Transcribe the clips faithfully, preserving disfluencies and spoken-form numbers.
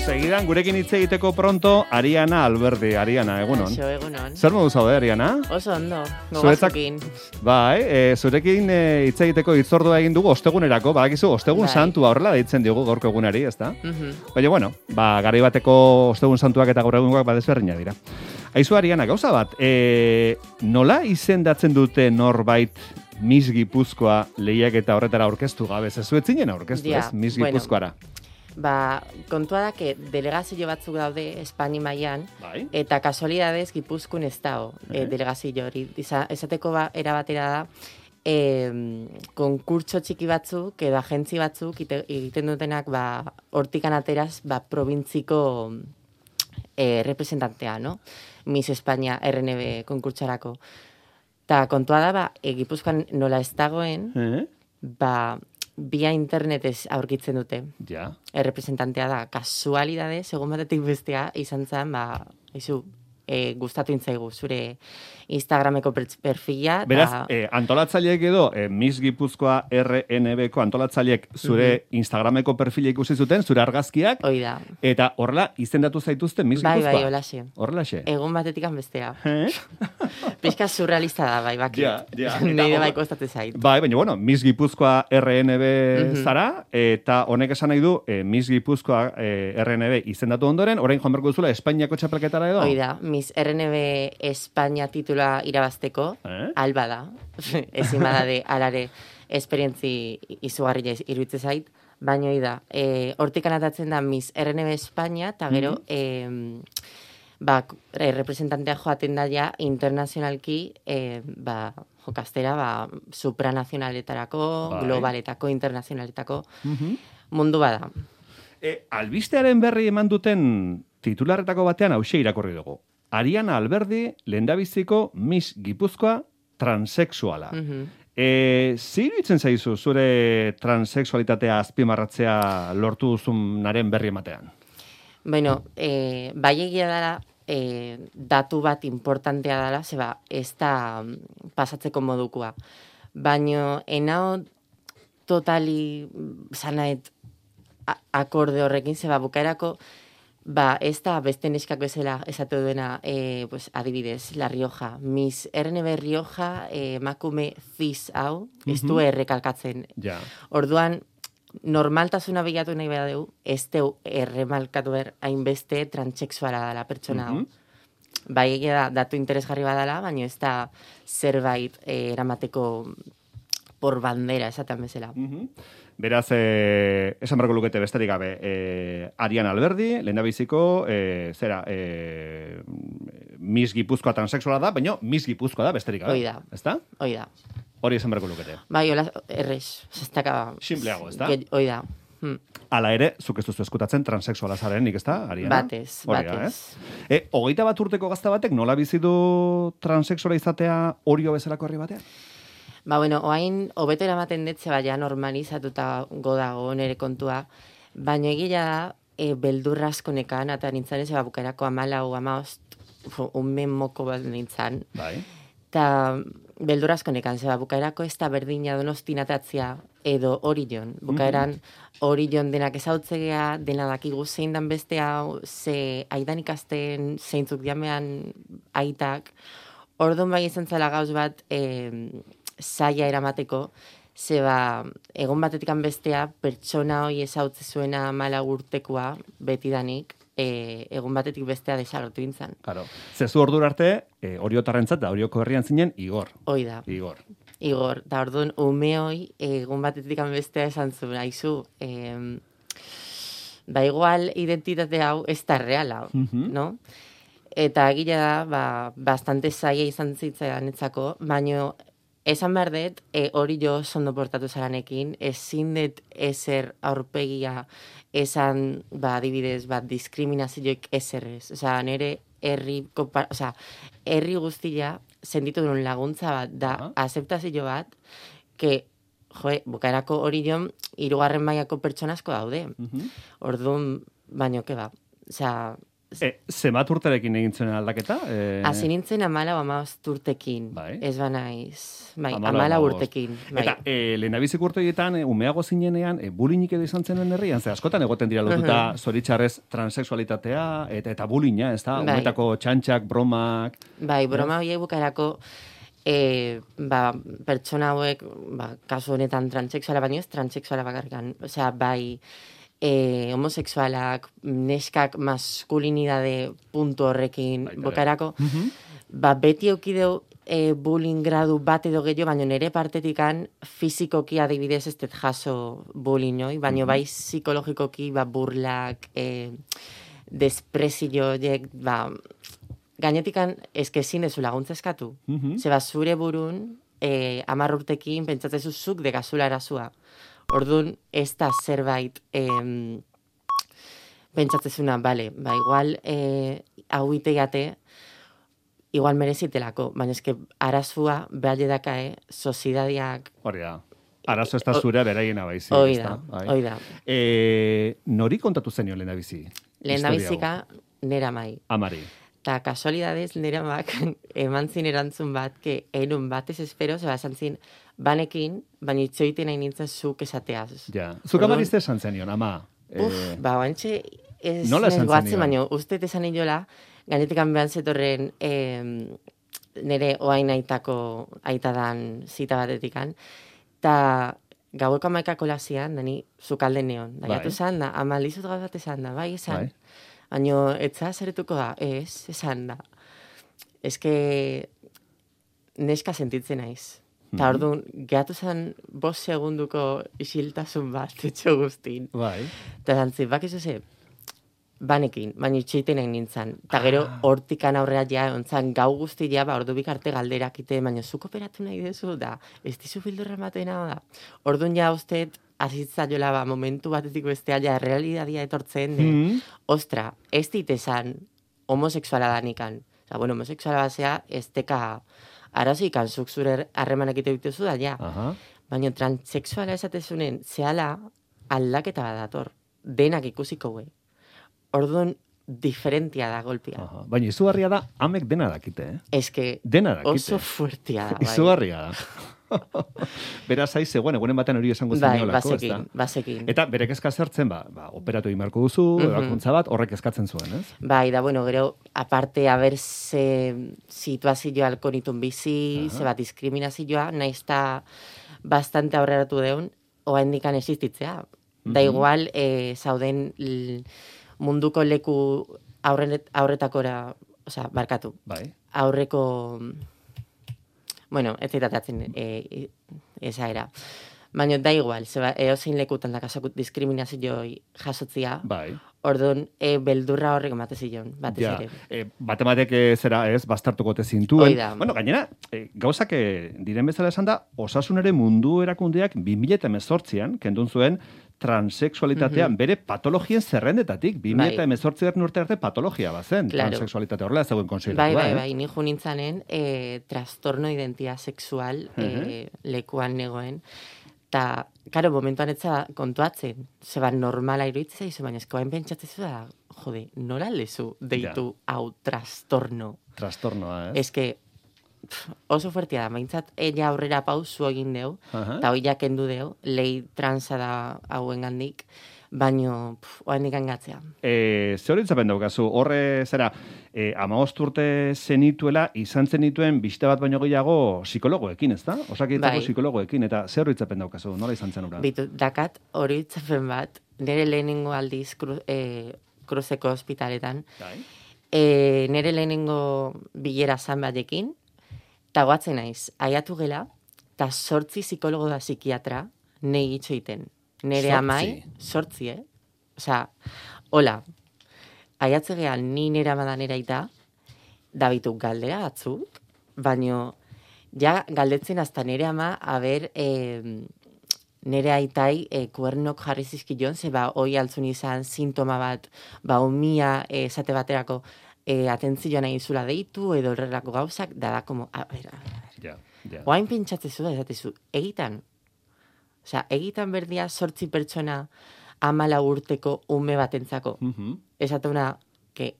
Segidan, gurekin hitz egiteko pronto, Ariana Alberdi. Ariana, egunon. Eso, egunon. Zer modu zaude, Ariana? Oso ondo, Zuretzak, gogazukin. bai, e, zurekin e, hitz egiteko hitzordua egin dugu ostegunerako, badakizu, ostegun Bai. santua horrela deitzen diogu gaurko egunari, ezta? Mhm. Baina, bueno, ba, garai bateko ostegun santuak eta gaur egungoak badezberdinak dira. Aizu, Ariana, gauza bat, e, nola izendatzen dute norbait Miss Gipuzkoa lehiak eta horretara aurkeztu gabe? Ez zuetzinen aurkeztu, Ja, ez? Miss bueno. Gipuzkoara. Ba, kontua da, que delegazio batzuk daude Espaini mailan, Bai. eta kasualidadez Gipuzkoan ez dago Eh. e, delegazio hori. Iza- Esateko ba, erabatera da, e, konkurtso txiki batzuk, edo agentzi batzuk, ite- egiten dutenak, ba, hortikan ateraz, ba, probintziko e, representantea, no? Miss Espainia R N B konkurtsarako. Ta kontua da, ba, e, Gipuzkoan nola ez dagoen, Eh? ba, via internetez aurkitzen dute. Ja. Errepresentantea da, kasualidade, segun batetik bestea, izan zen, ba, izu, e, gustatu intzaigu, zure Instagrameko per- perfila. ta- Beraz, eh, antolatzaileek edo eh, Miss Gipuzkoa R N B ko antolatzaileek zure Instagrameko perfila ikusi zuten, zure argazkiak, Hoi da. eta horrela izendatu zaituzte Miss Bai, Gipuzkoa. bai, holaxe. Horrelaxe. Egun batetikan bestea. Eh? Pizka surrealista da, bai, baki. Ja, ja. Eta Nire hor- bai kostatzen zait. Bai, baina bueno, Miss Gipuzkoa R N B Mhm. zara, eta honek esan nahi du eh, Miss Gipuzkoa eh, R N B izendatu ondoren, orain joan berko duzula Espainiako txapelketara edo? Hoi da, Miss R N B Espainia titula irabazteko, Eh? alba da, ezin badade alare esperientzi izugarria iruditzen zait, baina hoi da, e, hortik anatatzen da Miss R N B Espainia, eta gero, e, ba, e, representantea joaten da ja internazionalki, e, ba, jokastera, ba, supranazionaletarako, Bai. globaletako, internazionaletako, Mhm. mundu bada. E, albistearen berri eman duten titularretako batean hauxe irakurri dugu. Ariana Alberdi, lehendabiziko Miss Gipuzkoa transexuala. Mhm. E, zer iruditzen zaizu zure transexualitatea azpimarratzea lortu duzunaren berri ematean? Bueno, eh, bai egia dela, eh, datu bat importantea dela, zeba, ez da mm, pasatzeko modukua. Baino, enao totali zanaet a- akorde horrekin, zeba, bukaerako, ba, ez da beste neskak bezala esatu duena, eh, pues, adibidez, La Rioja. Miss R N B Rioja, eh, emakume cis hau, ez du errekalkatzen. Ja. Orduan, normaltasuna bilatu nahi behar dugu, ez deu erremalkatu behar hainbeste transexuala dela pertsona hau. Mhm. Bai egia da, datu interesgarri badala, baina ez da zerbait eh, eramateko por bandera, esaten bezala. Mhm. Beraz, eh, esan barko lukete besterik gabe, eh, Ariana Alberdi, lehendabiziko, eh, zera, eh, Miss Gipuzkoa transexuala da, baina Miss Gipuzkoa da besterik gabe. Hoi da. Ezta? Hoi da. Hori esan barko lukete. Bai, hola, errez. Ez daka... Simpleago, ezta? Ge- Hoi da. Hmm. Hala ere, zuk ez duzu eskutatzen transexuala zarenik, ezta, Ariana? Batez, Hori da, batez. eh? E, hogeita bat urteko gazta batek nola bizi du transexuala izatea orio bezalako herri batean? Ba, bueno, oain, hobeto eramaten dut, zeba ja normalizatuta godago nere kontua, baina egia da, e, beldurra asko nekan, eta nintzen ez, bukaerako amalau, amaost, un moko bat nintzen, Bai. eta beldurra asko nekan, zeba, bukaerako ez da berdina donostin atatzia, edo Orion. Bukaeran Orion denak ezautzegea, dena dakigu zein dan beste hau, ze aidan ikasten, zeintzuk diamean aitak, orduan bai izan zela gauz bat, e, zaila eramateko, zeba, egon batetikan bestea, pertsona hoi ezautze zuena mala urtekoa, betidanik, e, egon batetik bestea desagertu intzan. Claro. Zezu ordura arte, e, oriotarrentzat da orioko herrian zinen Igor. Hoi da. Igor. Igor, eta orduan, ume hoi, egun batetik bestea esan zuen, haizu, eh, ba igual identitate hau ez da reala, Mhm. no? Eta egia da, ba, bastante zaila izan zitzaidan etzako, baino, esan behar dut, e, hori jo sondo portatu zaranekin, ezin dut ezer aurpegia esan, ba, adibidez, ba, diskriminazioik ezerrez. Osea, nire herri, kopa- osea, herri guztia sentitu duen laguntza bat, da, Ah. azeptazio bat, que, joe, bukaerako hori jo, hirugarren mailako pertsona asko daude. Mhm. Orduan, baino, ke ba, osea, E, zemat urterekin egin zuen aldaketa? E... Hasi nintzen amala o amabost urtekin. Bai. Ez banaiz. Bai, Amala amala hamabost. urtekin. Bai. Eta e, lehenabizik urte horietan, e, umeago zinenean, e, bulinik edo izan zen herrian, ze askotan egoten dira lotuta Mhm. zoritxarrez transexualitatea, eta, eta bulina, ez da? Bai. Umetako txantxak, bromak... Bai, broma horiek bukaerako e, ba, pertsona hauek, ba, kasu honetan transexuala baino ez, transexuala bakarrikan. Osea, bai, e, homosexualak, neskak maskulinidade puntu horrekin Baita ere. bukaerako, Mhm. ba, beti eukideu e, bullying gradu bat edo gehiago, baina nire partetikan fizikoki adibidez ez dut jaso bullying hoi, baina bai psikologikoki ba, burlak, e, desprezio horiek, ba, gainetikan eske ezin dezu laguntza eskatu. Mhm. Zeba zure burun, e, amar urtekin pentsatzezu zuk dekazula erazua. Orduan, ez da zerbait em, pentsatzezuna, bale, ba, igual e, hau iteiate, igual merezitelako, baina eske arazua behar dakae, sozidadiak, Hori da. Arazo ez da zure beraiena baizik. hoi ez da, Bai. hoi da. E, nori kontatu zenio lehendabizi? Lehen da Historia hau? bizika, nera mai. Amari. Ta kasualidadez nera mak eman zin erantzun bat, que enun batez espero, zeba esan zin, banekin, baina itxoiten nahi nintzen zuk esateaz. Ja. Zuk Orduan- amarizte esan zenion, ama. Uf, Eh, ba, oantxe, ez nola esan goatzen, zenion? baina uste esan inola, gainetik behan zetorren em, nire oain aitako aitadan zita batetikan, eta gaueko amaikako lazian, dani zukalde neon. Da, Bai. jatu zan da, ama lizut gau bat esan da, bai, esan. Bai. Baina, etza zeretuko da, ez, esan da. Ez que neska sentitzen naiz. Eta Mhm. orduan, gehatu zen bost segunduko isiltasun bat, etxo guztin. Bai. Eta zantzi, bakizu ze, banekin, baina itxeiten egin nintzen. Eta gero, hortikan aurrera ja, ontzan gau guztia, ba, ordu bikarte galderak ite, baina zuk operatu nahi dezu, da, ez dizu bildurra ematen da. Orduan ja, usteet, azitza jola, ba, momentu batetik bestea, ja, realidadia etortzen, de, Mhm. ostra, ez dit esan homosexuala danikan. Osa, bueno, homosexuala basea, ez teka arazoikan zuk zure harremanak ite dituzu da, ja. Aha. Baina transexuala esatezunen, zehala aldaketa bat dator. Denak ikusiko gue. Orduan, diferentia da golpia. Aha. Baina izugarria da, amek dena dakite, eh? Eske Dena dakite. oso fuertia da, bai. Izugarria da. Beraz, aiz, zegoen, egunen batean hori esango Bai, zeniolako, ez da? bazekin, bazekin. Eta bere kezka zertzen, ba, ba operatu egin beharko duzu, Mhm. ebakuntza bat, horrek eskatzen zuen, ez? Bai, da, bueno, gero, aparte, haber ze situazioa alkonitun bizi, Aha. ze bat diskriminazioa, nahiz eta bastante aurreratu deun, oa indikan existitzea. Da Mhm. igual, eh, zauden l- munduko leku aurret, aurretakora, osea, barkatu, Bai. aurreko, bueno, ez zitatatzen e, esa era. Baina da igual, zeba, eozein lekutan da kasakut diskriminazioi jasotzia, Bai. orduan, e, beldurra horrek emate zion, batez Ja, ere. e, batematek eh, zera ez, bastartuko te zintuen. Hoi da. Bueno, gainera, e, gauzak eh, diren bezala esan da, osasunere mundu erakundeak bi mila hemezortzian, kendun zuen, transexualitatea Mhm. bere patologien zerrendetatik, bi mila Bai. hemezortzigarren urte arte patologia bazen, Claro. transexualitatea horrela ez zegoen konsideratua, Bai, bai, eh? bai, ni jo nintzanen e, trastorno identidad sexual e, lekuan negoen. Ta, karo, momentuan etza kontuatzen, zeba normala iruditzen zaizu, baina eskoain pentsatzezu da, jode, nola lezu deitu hau trastorno. Trastornoa, ez? Eske, pf, oso fuertia da, maintzat, ella aurrera pausu egin deu, Aha. eta hoi jakendu deu, lehi transa da hauen gandik, baino, oain dikangatzea. E, ze horitzapen daukazu, horre zera, e, amaost urte zenituela, izan zenituen biste bat baino gehiago psikologoekin, ez da? Osakidetzako Bai. psikologoekin, eta zer horitzapen daukazu, nola izan zen ura? Bitu, dakat hori itzapen bat, nire lehenengo aldiz kru, e, kruzeko ospitaletan, Bai. e, nire lehenengo bilera zan batekin, eta goatzen naiz, aiatu gela, eta sortzi psikologo da psikiatra nahi itxoiten. Nire Sortzi? amai, sortzi, eh? Osa, hola, aiatze gehan ni nire amadan eraita, da bitu galdera batzuk, baino, ja galdetzen hasta nire ama, haber, eh, nire aitai e, kuernok jarri zizkion, ze ba, hoi altzun izan sintoma bat, ba, umia e, esate baterako e, atentzioa nahi zula deitu, edo horrelako gauzak, da da, como, a ver, a ver, Ja, ja. oain pentsatzezu da, esatezu, egitan, osea, egitan berdia sortzi pertsona amala urteko ume batentzako, Mhm. esatuna, que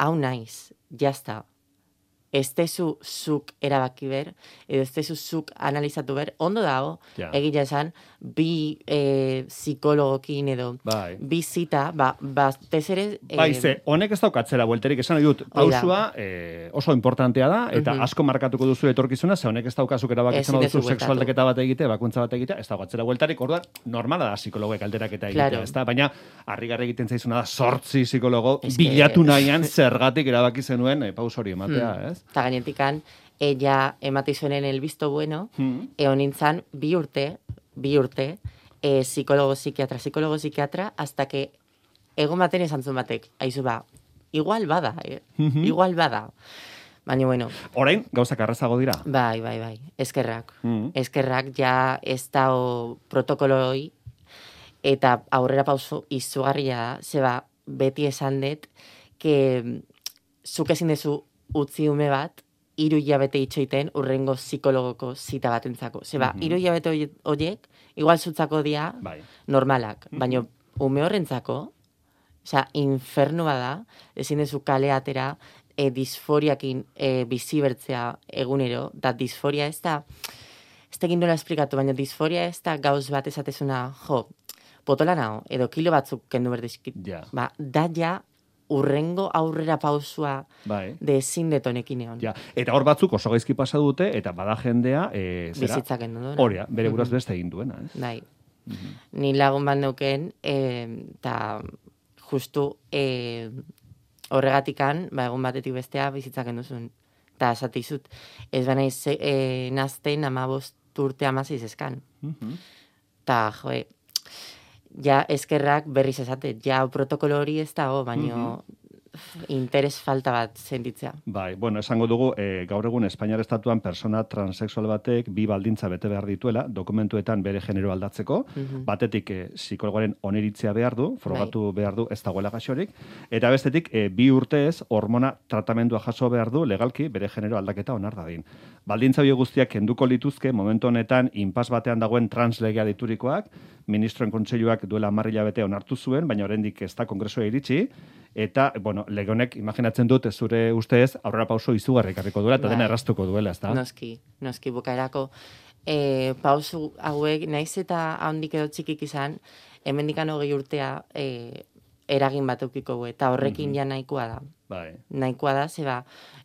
hau naiz, jazta. Ez tezu zuk erabaki ber, edo ez tezu zuk analizatu ber, ondo dago, Ja. egia esan, bi e, psikologokin edo, Bai. bi zita, ba, batez ere... E, Bai, ze, honek ez daukatzera buelterik, esan nahi dut, pausua eh, oso importantea da, eta Mhm. asko markatuko duzu etorkizuna, ze honek ez daukazuk erabakitzen Ezin duzu duzu bueltatu. sexualdeketa bat egite, bakuntza bat egite, ez daukatzera bueltarik, orduan, normala da psikologoek alderaketa egitea, Claro. ez da? Baina, harrigarri egiten zaizuna da, sortzi psikologo, Es que- bilatu nahian zergatik erabaki zenuen eh, paus hori ematea, Hmm. ez? Eta gainetikan, ella emate zuenen el visto bueno, Hmm. egon nintzen bi urte, bi urte, e, psikologo, psikiatra, psikologo, psikiatra, hasta que egon baten esan zuen batek, aizu ba, igual bada, eh? Mhm. Igual bada. Baina, bueno, Orain, gauzak arrazago dira. bai, bai, bai, eskerrak. Mhm. Eskerrak ja ez dao protokoloi, eta aurrera pauso izugarria da, zeba beti esan dut, que zuk ezin dezu utzi ume bat, hiru hilabete itxoiten urrengo psikologoko zita batentzako. Zeba, Mhm. hiru hilabete hoie- horiek, igual zutzako dia Bai. normalak, Mhm. baina ume horrentzako, osea, infernu bada, ezin dezu kale atera, e, disforiakin e, bizi bertzea egunero, da disforia ez da, ez da egin nola esplikatu, baina disforia ez da gauz bat esatezuna, jo, potola nao, edo kilo batzuk kendu berdizkit. Ja. Ba, da ja urrengo aurrera pausua Bai. de ezin detonekin egon. Ja. Eta hor batzuk oso gaizki pasa dute, eta bada jendea, e, zera, Bizitzak kendu duena. horia, bere buraz Mhm. beste egin duena, ez? Bai. Mhm. Ni lagun bat neuken, eta justu e, horregatikan, ba, egun batetik bestea bizitzak enduzun. Eta esatizut, ez baina e, nazten amabost urte amaziz eskan. Mhm. Ta, joe, ja eskerrak berriz esate, ja protokolo hori ez dago, baino interes falta bat sentitzea. Bai, bueno, esango dugu, e, gaur egun Espainiar estatuan persona transexual batek bi baldintza bete behar dituela, dokumentuetan bere genero aldatzeko, Mhm. batetik e, psikologoaren oniritzia behar du, frogatu behar du ez dagoela gaixorik, eta bestetik e, bi urtez hormona tratamendua jaso behar du legalki bere genero aldaketa onar dadin. Baldintza hori guztiak kenduko lituzke momentu honetan inpas batean dagoen translegea diturikoak, ministroen kontseiluak duela hamar hilabete onartu zuen, baina oraindik ez da kongresua iritsi, eta, bueno, lege honek imaginatzen dut zure ustez aurrera pauso izugarri ekarriko duela eta Bai. dena erraztuko duela, ezta? Noski, noski bukaerako e, pausu hauek, naiz eta handik edo txikik izan, hemendikan hogei urtea e, eragin bat eukiko gu, eta horrekin Mhm. ja nahikoa da. Bai. Nahikoa da, zeba,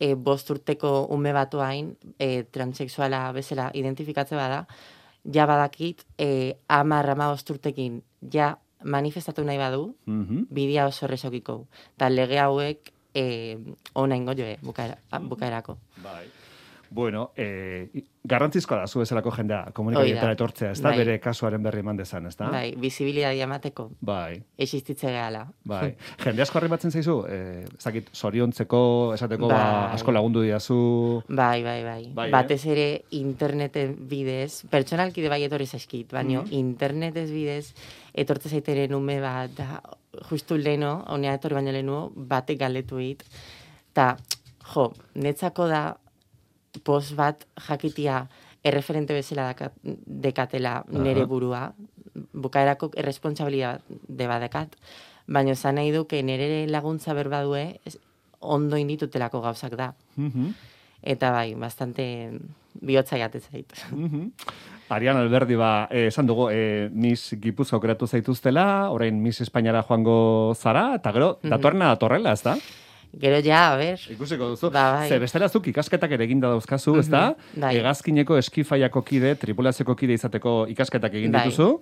e, bost urteko ume batu hain, e, transexuala bezala identifikatze bada, ja badakit, e, amar, ama bost urtekin, ja manifestatu nahi badu, Mhm. bidea oso errezokiko. Eta lege hauek e, ona ingo joe, bukaera, bukaerako. Bai. Bueno, eh, garrantzizkoa da zu bezalako jendea komunikabideetara Hori da. etortzea, ez da, Bai. bere kasuaren berri eman dezan, ez da? Bai, bizibilidadia emateko, Bai. existitze gehala. Bai. Jende asko arribatzen zaizu, eh, ezakit, zoriontzeko, esateko, ba, Bai. asko lagundu diazu. Bai, bai, bai. Bai, eh? Batez ere interneten bidez, pertsonalki bai etorri zaizkit, baina Mhm. internetez bidez etortze zaiteren ume bat, da, justu leno, honea etorri baino lehenu, batek galdetu hit. Ta, jo, netzako da post bat jakitia erreferente bezala daka- dekatela nere Aha. burua, bukaerako erresponsabilitate badekat, baina zan nahi duke nere laguntza berbadue, ez- ondo inditutelako gauzak da. Mhm. Eta bai, bastante bihotza jate zait. Mhm. Arian Alberdi, ba, eh, esan dugu, eh, Miss Gipuzkoa aukeratu zaituztela, orain Miss Espainiara joango zara, eta gero, Mhm. datorrena datorrela, ez da? Gero ja, a ber, Ikusiko duzu. Ba, bai. Ze bestela zuk ikasketak ere eginda dauzkazu, ez da? Mhm, bai. Hegazkineko eskifaiako kide, tripulazioko kide izateko ikasketak egin Bai. dituzu.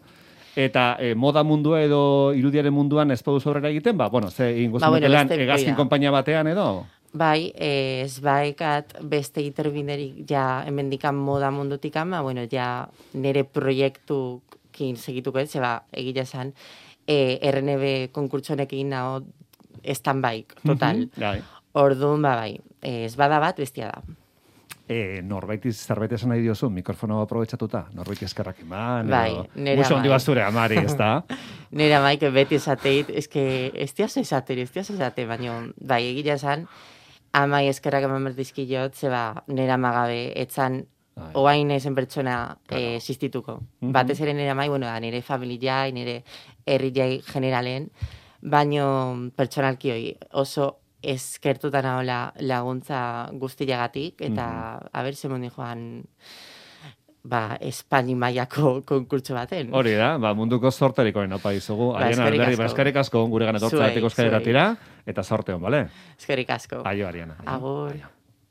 Eta eh, moda mundua edo irudiaren munduan ez baduzu aurrera egiten, ba, bueno, ze ingo Ba, bueno, lan beste hegazkin bida. konpainia batean edo? bai, eh, ez baekat beste iterbinderik ja hemendikan moda mundutik ama, bueno, ja nere proiektukin segituko ez, zeba egia esan, eh, R N B konkurtsonekin nao stand-by, total. Mhm, bai. Orduan, ba, bai, eh, ez bada bat, bestia da. E, norbaiti zerbait esan nahi diozu, mikrofono aprobetxatuta, norbaiti eskerrak eman, Bai, edo, nera musu handi bai. bazure amari, ez da? Nera maik beti esateit, eske, ez diaz esate, ez diaz esate, baina, bai, egia esan, amai eskerrak eman berdizkilot, zeba, nera magabe, etzan, Bai. oain ezen pertsona Claro. eh, existituko. Mhm. Batez ere nera mai, bueno, da, nire familiai, nire herri jai generalen, baino pertsonalki hoi oso eskertuta nahola laguntza guztiagatik, eta mm-hmm. aber zemondi joan ba, Espaini mailako konkurtso baten. Hori da, ba, munduko zorterikoen opa izugu. Ba, eskerrik asko. Ba, eskerrik asko, gure ganetortzatik euskaderatira, eta zorte hon, bale? Eskerrik asko. Aio, Ariana. Agur.